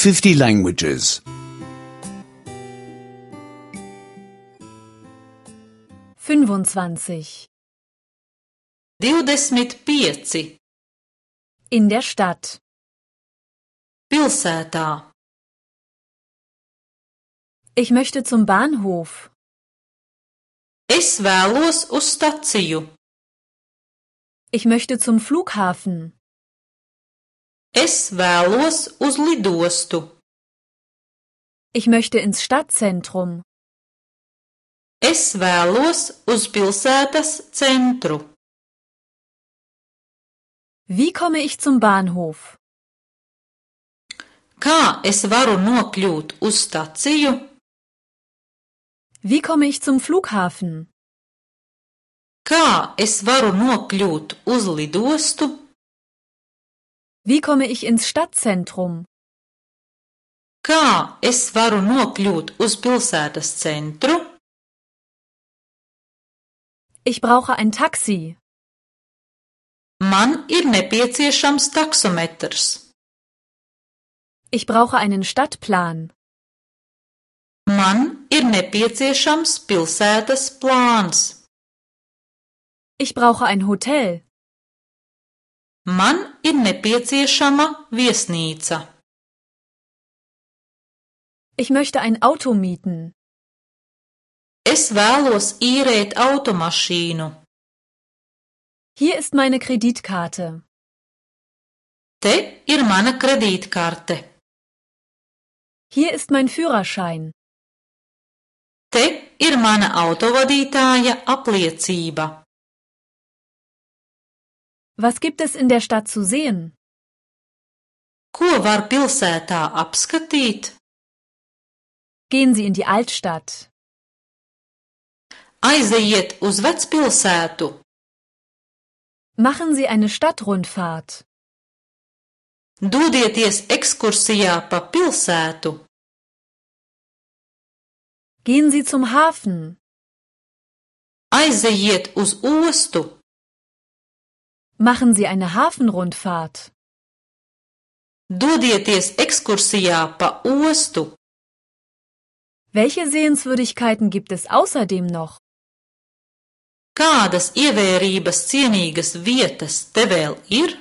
50 languages. 25. 25. In der Stadt. Pilsētā. Ich möchte zum Bahnhof. Es vēlos uz staciju. Ich möchte zum Flughafen. Es vēlos uz lidostu. Ich möchte ins Stadtzentrum. Es vēlos uz pilsētas centru. Wie komme ich zum Bahnhof? Kā es varu nokļūt uz staciju? Wie komme ich zum Flughafen? Kā es varu nokļūt uz lidostu? Wie komme ich ins Stadtzentrum? Kā es varu nokļūt uz pilsētas centru? Ich brauche ein Taxi. Man ir nepieciešams taksometrs. Ich brauche einen Stadtplan. Man ir nepieciešams pilsētas plāns. Ich brauche ein Hotel. Man ir nepieciešama viesnīca. Ich möchte ein Auto mieten. Es vēlos īrēt automašīnu. Hier ist meine Kreditkarte. Te ir mana kredītkarte. Hier ist mein Führerschein. Te ir mana autovadītāja apliecība. Was gibt es in der Stadt zu sehen? Ko var pilsētā apskatīt? Gehen Sie in die Altstadt. Aizejiet uz vecpilsētu. Machen Sie eine Stadtrundfahrt. Dodieties ekskursijā pa pilsētu. Gehen Sie zum Hafen. Aizejiet uz ostu. Machen Sie eine Hafenrundfahrt. Dodieties ekskursijā pa ostu. Welche Sehenswürdigkeiten gibt es außerdem noch? Kādas ievērības cienīgas vietas te vēl ir?